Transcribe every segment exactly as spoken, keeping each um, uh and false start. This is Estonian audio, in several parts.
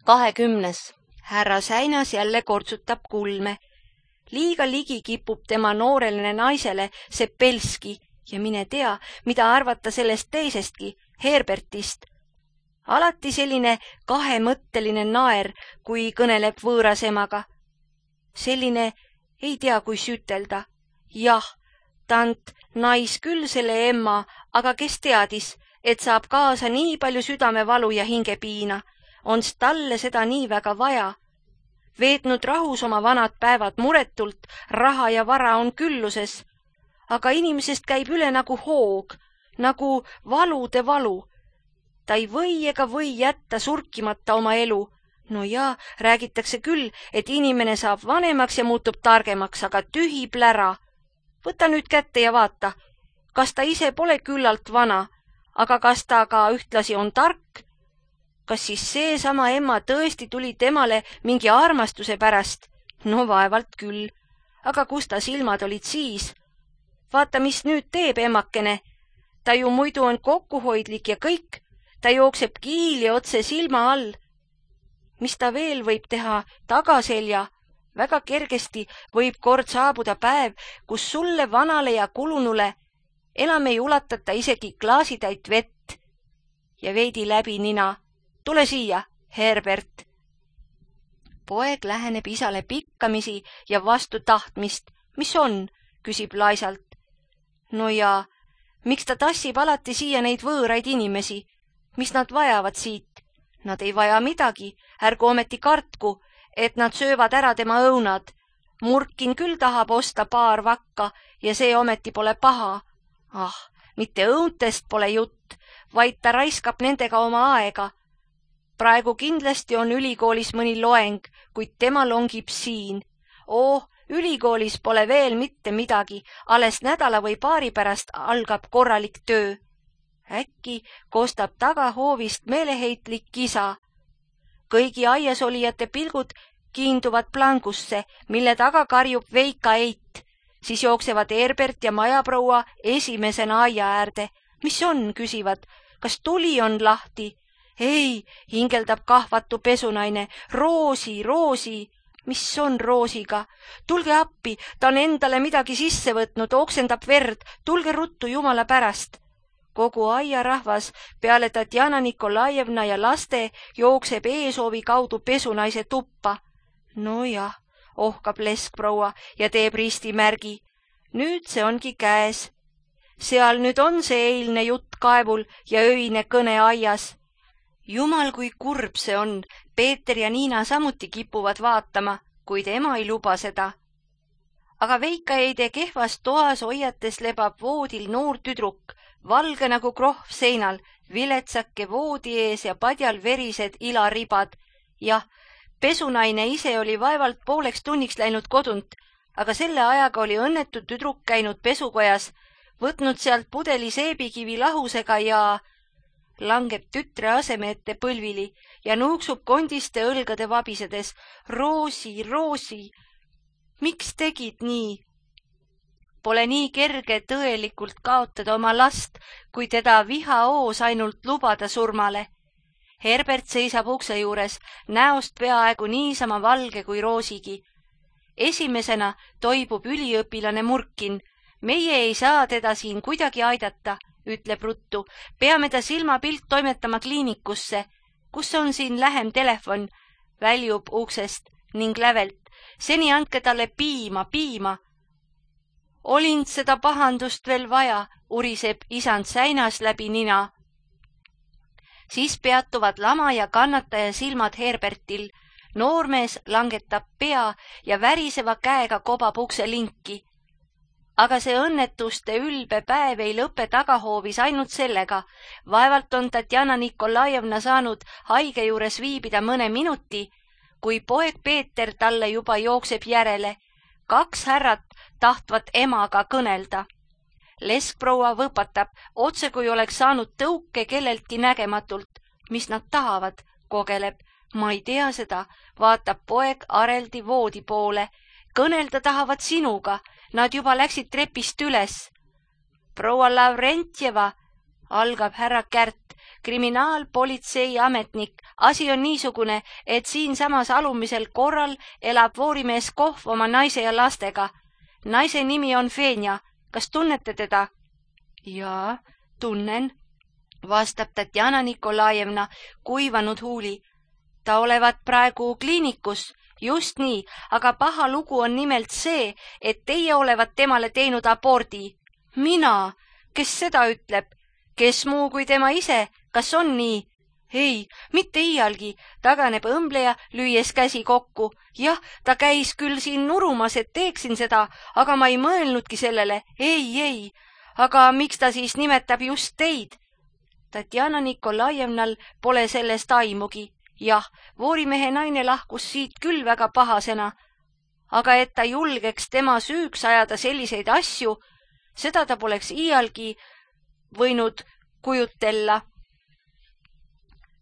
kahekümnes. Härra Säinas jälle kortsutab kulme. Liiga ligi kipub tema noorele naisele Sepelski ja mine tea, mida arvata sellest teisestki, Herbertist. Alati selline kahemõtteline naer, kui kõneleb võõras emaga. Selline ei tea, kui sütelda. Jah, tant nais küll selle emma, aga kes teadis, et saab kaasa nii palju südamevalu ja hingepiina. Ons talle seda nii väga vaja. Veetnud rahus oma vanad päevad muretult, raha ja vara on külluses. Aga inimesest käib üle nagu hoog, nagu valude valu. Ta ei või ega või jätta surkimata oma elu. No jaa, räägitakse küll, et inimene saab vanemaks ja muutub targemaks, aga tühi plära. Võta nüüd kätte ja vaata, kas ta ise pole küllalt vana, aga kas ta ka ühtlasi on tark? Kas siis seesama emma tõesti tuli temale mingi armastuse pärast? No vaevalt küll. Aga kus ta silmad olid siis? Vaata, mis nüüd teeb emmakene. Ta ju muidu on kokkuhoidlik ja kõik. Ta jookseb kiili otse silma all. Mis ta veel võib teha tagaselja? Väga kergesti võib kord saabuda päev, kus sulle vanale ja kulunule enam ei ulatata isegi klaasitäit vett. Ja veidi läbi nina. Tule siia, Herbert. Poeg läheneb isale pikkamisi ja vastu tahtmist. Mis on? Küsib laisalt. No ja, miks ta tassib alati siia neid võõraid inimesi? Mis nad vajavad siit? Nad ei vaja midagi, ärgu ometi kartku, et nad söövad ära tema õunad. Murkin küll tahab osta paar vakka ja see ometi pole paha. Ah, mitte õuntest pole jutt, vaid ta raiskab nendega oma aega. Praegu kindlasti on ülikoolis mõni loeng, kuid tema longib siin. Oh, ülikoolis pole veel mitte midagi, alles nädala või paari pärast algab korralik töö. Äkki kostab tagahoovist meeleheitlik kisa. Kõigi aias olijate pilgud kiinduvad plangusse, mille taga karjub Veika Eit. Siis jooksevad Herbert ja majaproua esimesena aia äärde. Mis on, küsivad, kas tuli on lahti? Ei, hingeldab kahvatu pesunaine. Roosi, Roosi. Mis on Roosiga? Tulge appi, ta on endale midagi sisse võtnud, oksendab verd. Tulge ruttu jumala pärast. Kogu aia rahvas peale Tatjana Nikolajevna ja laste jookseb eesoovi kaudu pesunaise tuppa. No jah, ohkab leskproua ja teeb ristimärgi. Nüüd see ongi käes. Seal nüüd on see eilne jutt kaevul ja öine kõne aias. Jumal, kui kurb see on. Peeter ja Niina samuti kipuvad vaatama, kuid ema ei luba seda. Aga Veika Eide kehvas toas hoiates lebab voodil noor tüdruk, valge nagu krohv seinal, viletsake voodi ees ja padjal verised ilaribad. Jah, pesunaine ise oli vaevalt pooleks tunniks läinud kodunt, aga selle ajaga oli õnnetu tüdruk käinud pesukojas, võtnud sealt pudeli seebikivi lahusega ja langeb tütre aseme ette põlvili ja nuuksub kondiste õlgade vabisedes. Roosi, Roosi, miks tegid nii? Pole nii kerge tõelikult kaotada oma last, kui teda vihaoos ainult lubada surmale. Herbert seisab ukse juures, näost peaaegu niisama valge kui Roosigi. Esimesena toibub üliõpilane Murkin. Meie ei saa teda siin kuidagi aidata, ütleb ruttu. Peame ta silmapilt toimetama kliinikusse. Kus on siin lähem telefon? Väljub uksest ning lävelt. Seni andke talle piima, piima. Olind seda pahandust veel vaja, uriseb isand Säinas läbi nina. Siis peatuvad lama ja kannataja silmad Herbertil. Noormees langetab pea ja väriseva käega kobab ukse linki. Aga see õnnetuste ülbe päev ei lõpe tagahoovis ainult sellega. Vaevalt on Tatjana Nikolajevna saanud haige juures viibida mõne minuti, kui poeg Peeter talle juba jookseb järele. Kaks härrat tahtvat emaga kõnelda. Leskproua võpatab, otse kui oleks saanud tõuke kelleltki nägematult. Mis nad tahavad, kogeleb. Ma ei tea seda, vaatab poeg areldi voodi poole. Kõnelda tahavad sinuga, nad juba läksid trepist üles. Proua Lavrentjeva, algab härra Kärt, kriminaalpolitsei ametnik. Asi on niisugune, et siinsamas alumisel korral elab voorimees Kohv oma naise ja lastega. Naise nimi on Fenja. Kas tunnete teda? Jaa, tunnen, vastab Tatjana Nikolajevna kuivanud huuli. Ta olevat praegu kliinikus, just nii, aga paha lugu on nimelt see, et teie olevat temale teinud abordi. Mina? Kes seda ütleb? Kes muu kui tema ise? Kas on nii? Ei, mitte iialgi, taganeb õmbleja, lüües käsi kokku. Jah, ta käis küll siin nurumas, et teeksin seda, aga ma ei mõelnudki sellele. Ei, ei, aga miks ta siis nimetab just teid? Tatjana Nikolajevnal pole sellest aimugi. Jah, voorimehe naine lahkus siit küll väga pahasena, aga et ta julgeks tema süüks ajada selliseid asju, seda ta poleks iialgi võinud kujutella.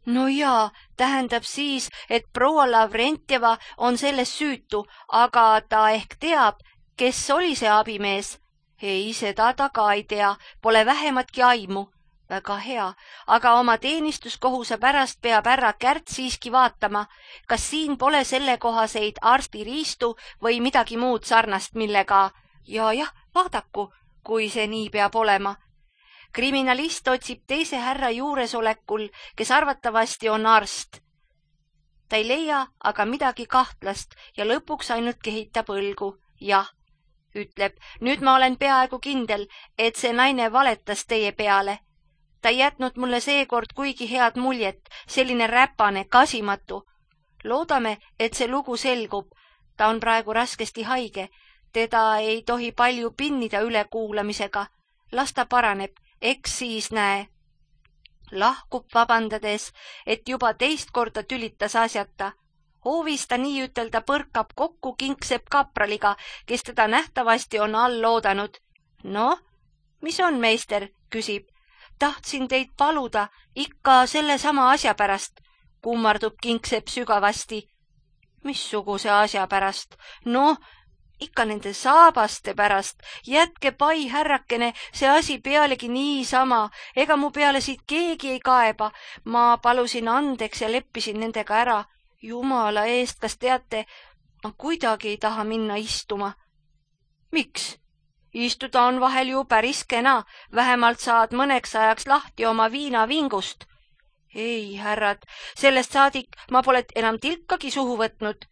No jaa, tähendab siis, et proua Lavrentjeva on selles süütu, aga ta ehk teab, kes oli see abimees. Ei, seda ta ka ei tea, pole vähematki aimu. Väga hea, aga oma teenistuskohuse pärast peab härra Kärt siiski vaatama, kas siin pole sellekohaseid arstiriistu või midagi muud sarnast, millega ja jah, vaadaku, kui see nii peab olema. Kriminalist otsib teise härra juuresolekul, kes arvatavasti on arst. Ta ei leia aga midagi kahtlast ja lõpuks ainult kehitab õlgu. Jah, ütleb, nüüd ma olen peaaegu kindel, et see naine valetas teie peale. Ta ei jätnud mulle seekord kuigi head muljet, selline räpane, kasimatu. Loodame, et see lugu selgub. Ta on praegu raskesti haige. Teda ei tohi palju pinnida ülekuulamisega. Las ta paraneb, eks siis näe. Lahkub vabandades, et juba teist korda tülitas asjata. Hoovis ta nii ütelda põrkab kokku Kingsepp kapraliga, kes teda nähtavasti on all loodanud. No, mis on, meister, küsib. Tahtsin teid paluda ikka selle sama asja pärast, kummardub Kingsepp sügavasti. Missuguse asja pärast? No, ikka nende saabaste pärast. Jätke pai, härrakene, see asi pealegi niisama. Ega mu peale siit keegi ei kaeba. Ma palusin andeks ja leppisin nendega ära. Jumala eest, kas teate, ma kuidagi ei taha minna istuma. Miks? Istuda on vahel ju päris kena, vähemalt saad mõneks ajaks lahti oma viinavingust. Ei, härrad, sellest saadik ma pole enam tilkagi suhu võtnud.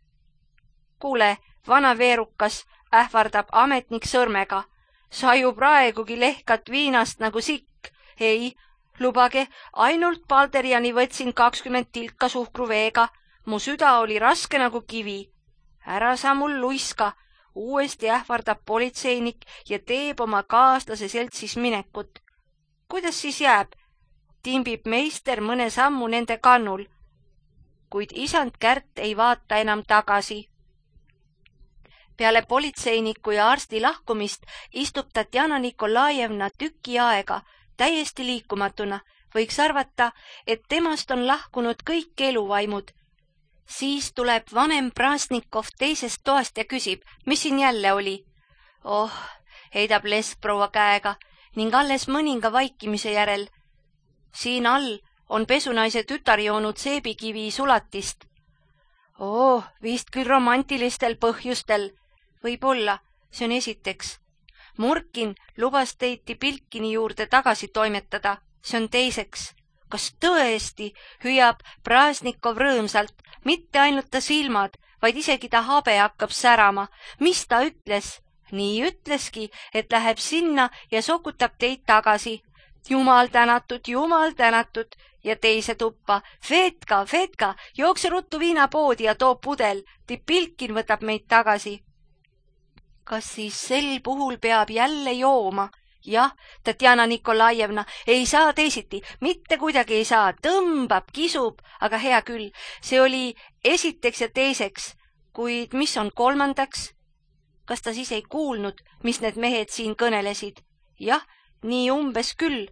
Kuule, vana veerukas, ähvardab ametnik sõrmega. Sa ju praegugi lehkad viinast nagu sikk. Ei, lubage, ainult Balderjani võtsin kakskümmend tilka suhkruveega. Mu süda oli raske nagu kivi. Ära sa mul luiska. Uuesti ähvardab politseinik ja teeb oma kaaslase seltsis minekut. Kuidas siis jääb? Timbib meister mõne sammu nende kannul. Kuid isand Kärt ei vaata enam tagasi. Peale politseiniku ja arsti lahkumist istub Tatjana Nikolajevna tüki aega, täiesti liikumatuna. Võiks arvata, et temast on lahkunud kõik eluvaimud. Siis tuleb vanem Prasnikov teisest toast ja küsib, mis siin jälle oli. Oh, heidab lesk proua käega ning alles mõninga vaikimise järel. Siin all on pesunaise tütar joonud seebikivi sulatist. Oh, vist küll romantilistel põhjustel. Võib-olla, see on esiteks. Murkin lubas teiti Pilkini juurde tagasi toimetada, see on teiseks. Kas tõesti, hüüab Prasnikov rõõmsalt, mitte ainult ta silmad, vaid isegi ta habe hakkab särama. Mis ta ütles? Nii ütleski, et läheb sinna ja sokutab teid tagasi. Jumal tänatud, jumal tänatud ja teise tuppa. Fetka, Fetka, jookse ruttu viinapoodi ja too pudel. Tipilkin võtab meid tagasi. Kas siis sel puhul peab jälle jooma? Jah, Tatjana Nikolajevna, ei saa teisiti, mitte kuidagi ei saa, tõmbab, kisub, aga hea küll, see oli esiteks ja teiseks, kuid mis on kolmandaks? Kas ta siis ei kuulnud, mis need mehed siin kõnelesid? Jah, nii umbes küll.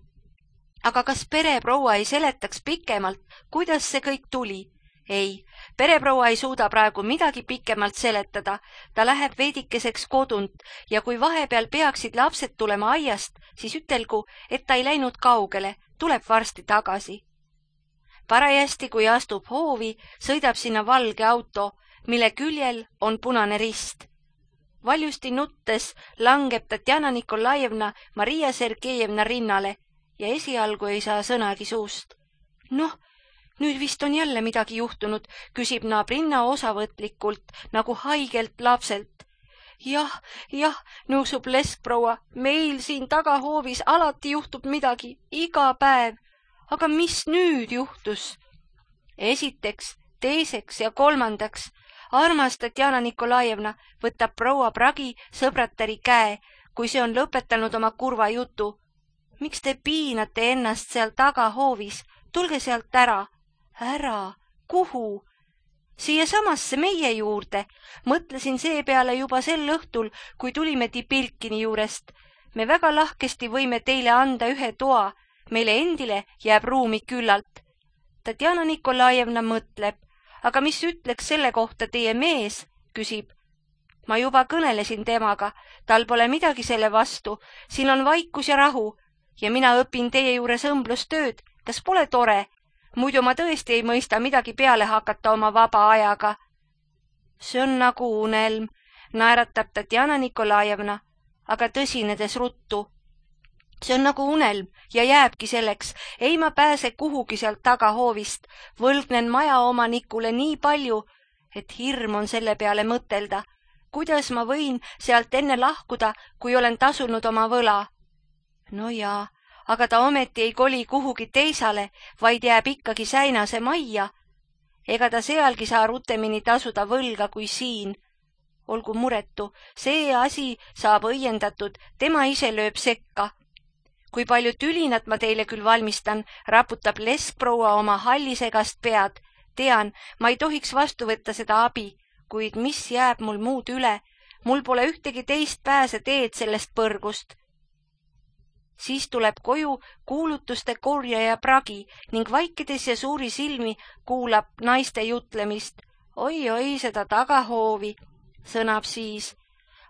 Aga kas pereproua ei seletaks pikemalt, kuidas see kõik tuli? ei, pereproua ei suuda praegu midagi pikemalt seletada, ta läheb veidikeseks kodunt ja kui vahepeal peaksid lapsed tulema aiast, siis ütelgu, et ta ei läinud kaugele, tuleb varsti tagasi. Parajasti, kui astub hoovi, sõidab sinna valge auto, mille küljel on punane rist. Valjusti nuttes langeb Tatjana Nikolajevna Maria Sergejevna rinnale ja esialgu ei saa sõnagi suust. Noh, nüüd vist on jälle midagi juhtunud, küsib naabrinna osavõtlikult, nagu haigelt lapselt. Jah, jah, nõusub leskproua, meil siin tagahoovis alati juhtub midagi, iga päev. Aga mis nüüd juhtus? Esiteks, teiseks ja kolmandaks. Armas Tatjana Nikolajevna, võtab proua Pragi sõbratari käe, kui see on lõpetanud oma kurva jutu. Miks te piinate ennast seal tagahoovis? Tulge sealt ära. Ära? Kuhu? Siia samasse meie juurde. Mõtlesin seepeale juba sel õhtul, kui tulime Tipilkini juurest. Me väga lahkesti võime teile anda ühe toa. Meile endile jääb ruumi küllalt. Tatjana Nikolajevna mõtleb. Aga mis ütleks selle kohta teie mees, küsib. Ma juba kõnelesin temaga, tal pole midagi selle vastu, siin on vaikus ja rahu ja mina õpin teie juures õmblustööd, kas pole tore? Muidu ma tõesti ei mõista midagi peale hakata oma vaba ajaga. See on nagu unelm, naeratab Tatjana Nikolajevna, aga tõsinedes ruttu. See on nagu unelm ja jääbki selleks, ei ma pääse kuhugi sealt tagahoovist, võlgnen maja omanikule nii palju, et hirm on selle peale mõtelda. Kuidas ma võin sealt enne lahkuda, kui olen tasunud oma võla? No jaa, aga ta ometi ei koli kuhugi teisale, vaid jääb ikkagi Säinase majja. Ega ta sealgi saa rutemini tasuda võlga kui siin. Olgu muretu, see asi saab õiendatud, tema ise lööb sekka. Kui palju tülinat ma teile küll valmistan, raputab leskproua oma hallisegast pead. Tean, ma ei tohiks vastu võtta seda abi, kuid mis jääb mul muud üle? Mul pole ühtegi teist pääse teed sellest põrgust. Siis tuleb koju kuulutuste korjaja Pragi ning vaikides ja suuri silmi kuulab naiste jutlemist. Oi-oi, seda tagahoovi, sõnab siis.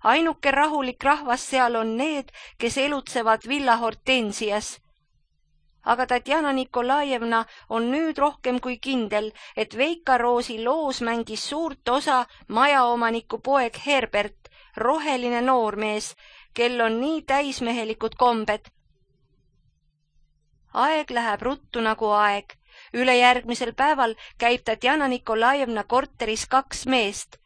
Ainuke rahulik rahvas seal on need, kes elutsevad Villa Hortensias. Aga Tatjana Nikolajevna on nüüd rohkem kui kindel, et Veika Roosi loos mängis suurt osa majaomaniku poeg Herbert, roheline noormees, kel on nii täismehelikud kombed. Aeg läheb ruttu nagu aeg. Ülejärgmisel päeval käib Tatjana Nikolajevna korteris kaks meest.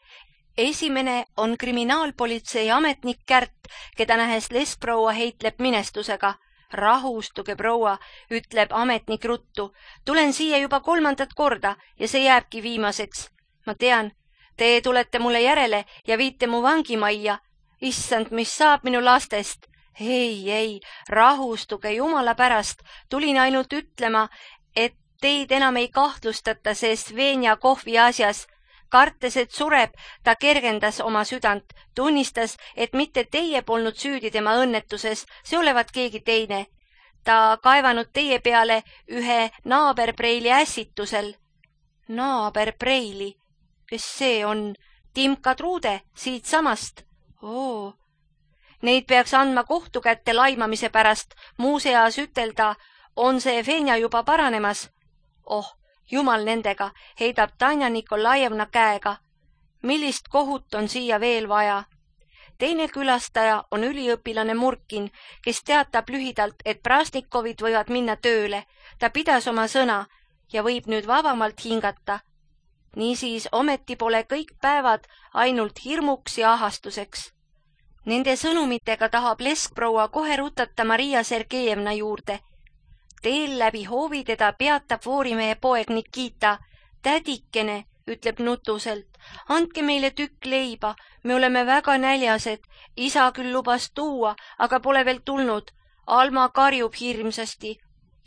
Esimene on kriminaalpolitsei ametnik Kärt, keda nähes leskproua heitleb minestusega. Rahustuge, proua, ütleb ametnik ruttu. Tulen siia juba kolmandat korda ja see jääbki viimaseks. Ma tean, te tulete mulle järele ja viite mu vangimajja. Issand, mis saab minu lastest? Ei, ei, rahustuge jumala pärast. Tulin ainult ütlema, et teid enam ei kahtlustata see Svenja kohvi asjas. Kartes, et sureb, ta kergendas oma südant, tunnistas, et mitte teie polnud süüdi tema õnnetuses, see olevat keegi teine. Ta kaevanud teie peale ühe naaberpreili ässitusel. Naaberpreili? Kes see on? Timka Truude, siit samast. Oo. Neid peaks andma kohtu kätte laimamise pärast, muuseas ütelda, on see Fenja juba paranemas. Oh, jumal nendega, heidab Tanja Nikolajevna käega. Millist kohut on siia veel vaja? Teine külastaja on üliõpilane Murkin, kes teatab lühidalt, et Prasnikovid võivad minna tööle. Ta pidas oma sõna ja võib nüüd vabamalt hingata. Niisiis ometi pole kõik päevad ainult hirmuks ja ahastuseks. Nende sõnumitega tahab leskproua kohe rutata Maria Sergejevna juurde. Teel läbi hoovi teda peatab voorimehe poeg Nikita. Tädikene, ütleb nutuselt, andke meile tükk leiba, me oleme väga näljased. Isa küll lubas tuua, aga pole veel tulnud. Alma karjub hirmsasti.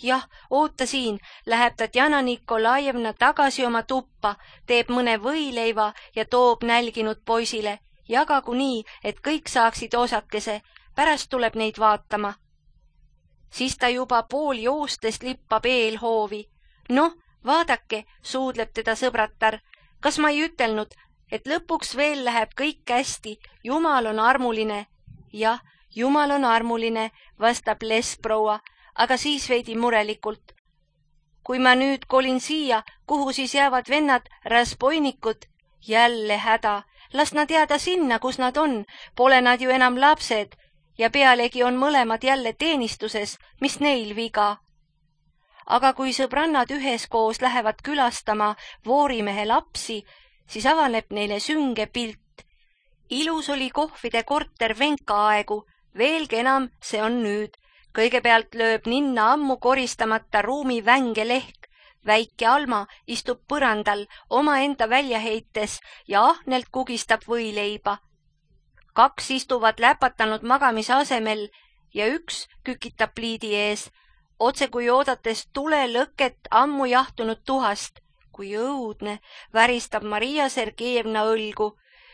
Jah, oota siin, läheb Tatjana Nikolajevna tagasi oma tuppa, teeb mõne võileiva ja toob nälginud poisile. Jagagu nii, et kõik saaksid osakese, pärast tuleb neid vaatama. Siis ta juba pool joostes lippab eelhoovi. Noh, Vaadake, suudleb teda sõbratar, kas ma ei ütelnud, et lõpuks veel läheb kõik hästi, Jumal on armuline. Jah, Jumal on armuline, vastab leskproua, aga siis veidi murelikult. Kui ma nüüd kolin siia, kuhu siis jäävad vennad raspoinikud? Jälle häda, las nad jääda sinna, kus nad on, pole nad ju enam lapsed ja pealegi on mõlemad jälle teenistuses, mis neil viga. Aga kui sõbrannad üheskoos lähevad külastama Voorimehe lapsi, siis avaneb neile sünge pilt. Ilus oli kohvide korter Venka aegu, veelgi enam see on nüüd. Kõigepealt lööb ninna ammu koristamata ruumi vänge lehk. Väike Alma istub põrandal omaenda välja heites ja ahnelt kugistab võileiba. Kaks istuvad läpatanud magamise asemel ja üks kükitab pliidi ees, otse kui oodates tule lõket ammu jahtunud tuhast. Kui õudne, väristab Maria Sergejevna õlgu.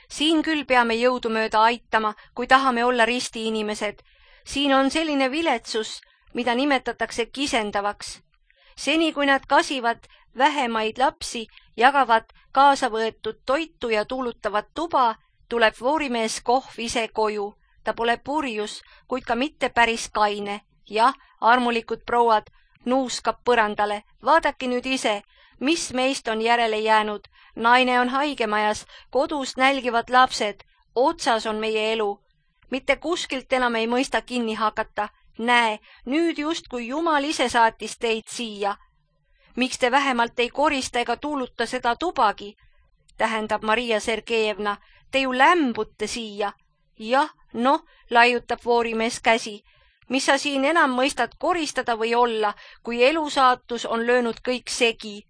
Siin küll peame jõudumööda aitama, kui tahame olla risti inimesed. Siin on selline viletsus, mida nimetatakse kisendavaks. Seni, kui nad kasivad vähemaid lapsi, jagavad kaasa võetud toitu ja tuulutavad tuba, tuleb Voorimees kohv ise koju. Ta pole purjus, kuid ka mitte päris kaine. Jah, armulikud prouad, nuuskab põrandale. Vaadake nüüd ise, mis meist on järele jäänud. Naine on haigemajas, kodus nälgivad lapsed. Otsas on meie elu. Mitte kuskilt enam ei mõista kinni hakata. Näe, nüüd just kui Jumal ise saatis teid siia. Miks te vähemalt ei korista ega tuuluta seda tubagi? Tähendab Maria Sergejevna, te ju lämbute siia. Jah, noh, laiutab Voorimees käsi. Mis sa siin enam mõistad koristada või olla, kui elusaatus on löönud kõik segi?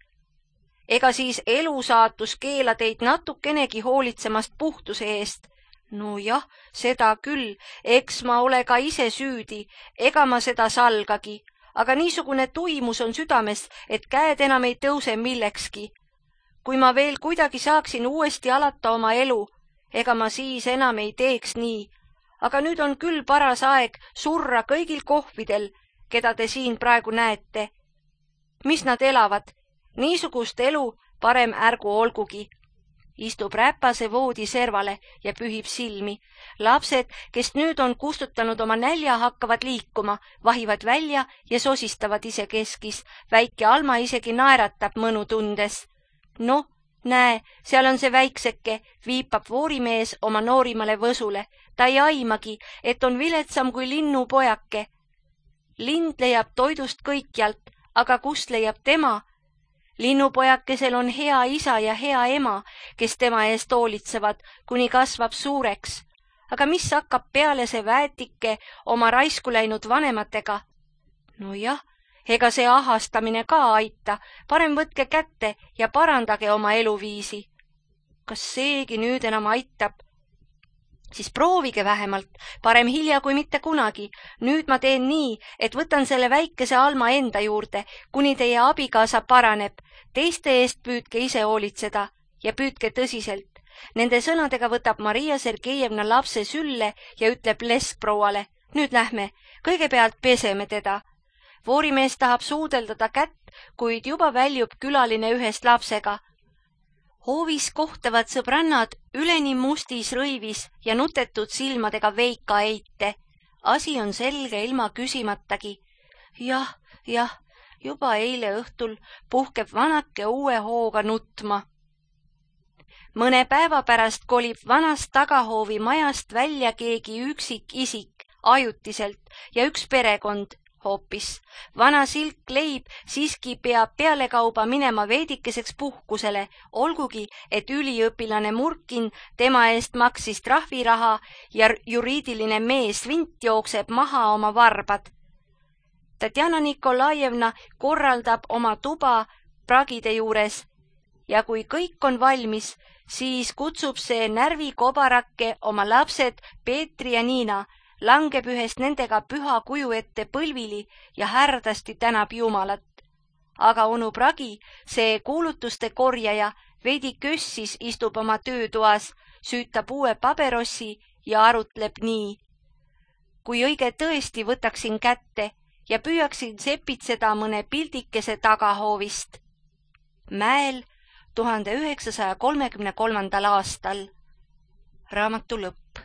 Ega siis elusaatus keela teid natukenegi hoolitsemast puhtuse eest? No jah, seda küll, eks ma ole ka ise süüdi, ega ma seda salgagi, aga niisugune tuimus on südames, et käed enam ei tõuse millekski. Kui ma veel kuidagi saaksin uuesti alata oma elu, ega ma siis enam ei teeks nii, aga nüüd on küll paras aeg surra kõigil kohvidel, keda te siin praegu näete. Mis nad elavad? Niisugust elu parem ärgu olgugi. Istub räpase voodi servale ja pühib silmi. Lapsed, kes nüüd on kustutanud oma nälja, hakkavad liikuma, vahivad välja ja sosistavad ise keskis. Väike Alma isegi naeratab mõnu tundes. Noh, näe, seal on see väikseke, viipab Voorimees oma noorimale võsule. Ta ei aimagi, et on viletsam kui linnupojake. Lind leiab toidust kõikjalt, aga kust leiab tema? Linnupojakesel on hea isa ja hea ema, kes tema eest hoolitsevad, kuni kasvab suureks. Aga mis hakkab peale see väetike oma raisku läinud vanematega? No jah, ega see ahastamine ka aita, parem võtke kätte ja parandage oma eluviisi. Kas seegi nüüd enam aitab? Siis proovige vähemalt, parem hilja kui mitte kunagi. Nüüd ma teen nii, et võtan selle väikese Alma enda juurde, kuni teie abikaasa paraneb. Teiste eest püüdke ise hoolitseda ja püüdke tõsiselt. Nende sõnadega võtab Maria Sergejevna lapse sülle ja ütleb leskprouale, nüüd lähme, kõigepealt peseme teda. Voorimees tahab suudeldada kätt, kuid juba väljub külaline ühest lapsega. Hoovis kohtavad sõbrannad üleni mustis rõivis ja nutetud silmadega Veika eite. Asi on selge ilma küsimatagi. Jah, jah, juba eile õhtul puhkeb vanake uue hooga nutma. Mõne päeva pärast kolib vanast tagahoovi majast välja keegi üksik isik, ajutiselt ja üks perekond hoopis. Vana Silk Leib siiski peab pealekauba minema veidikeseks puhkusele, olgugi, et üliõpilane Murkin tema eest maksis trahviraha ja juriidiline mees Vint jookseb maha oma varbad. Tatjana Nikolajevna korraldab oma tuba pragide juures ja kui kõik on valmis, siis kutsub see närvikobarake oma lapsed Peetri ja Niina, langeb ühest nendega püha kuju ette põlvili ja härdasti tänab Jumalat. Aga onu Pragi, see kuulutuste korjaja, veidi kössis istub oma töötoas, süütab uue paberossi ja arutleb nii. Kui õige tõesti võtaksin kätte ja püüaksin sepitseda mõne pildikese tagahoovist. mäel tuhande üheksasaja kolmekümne kolmandal aastal. raamatu lõpp.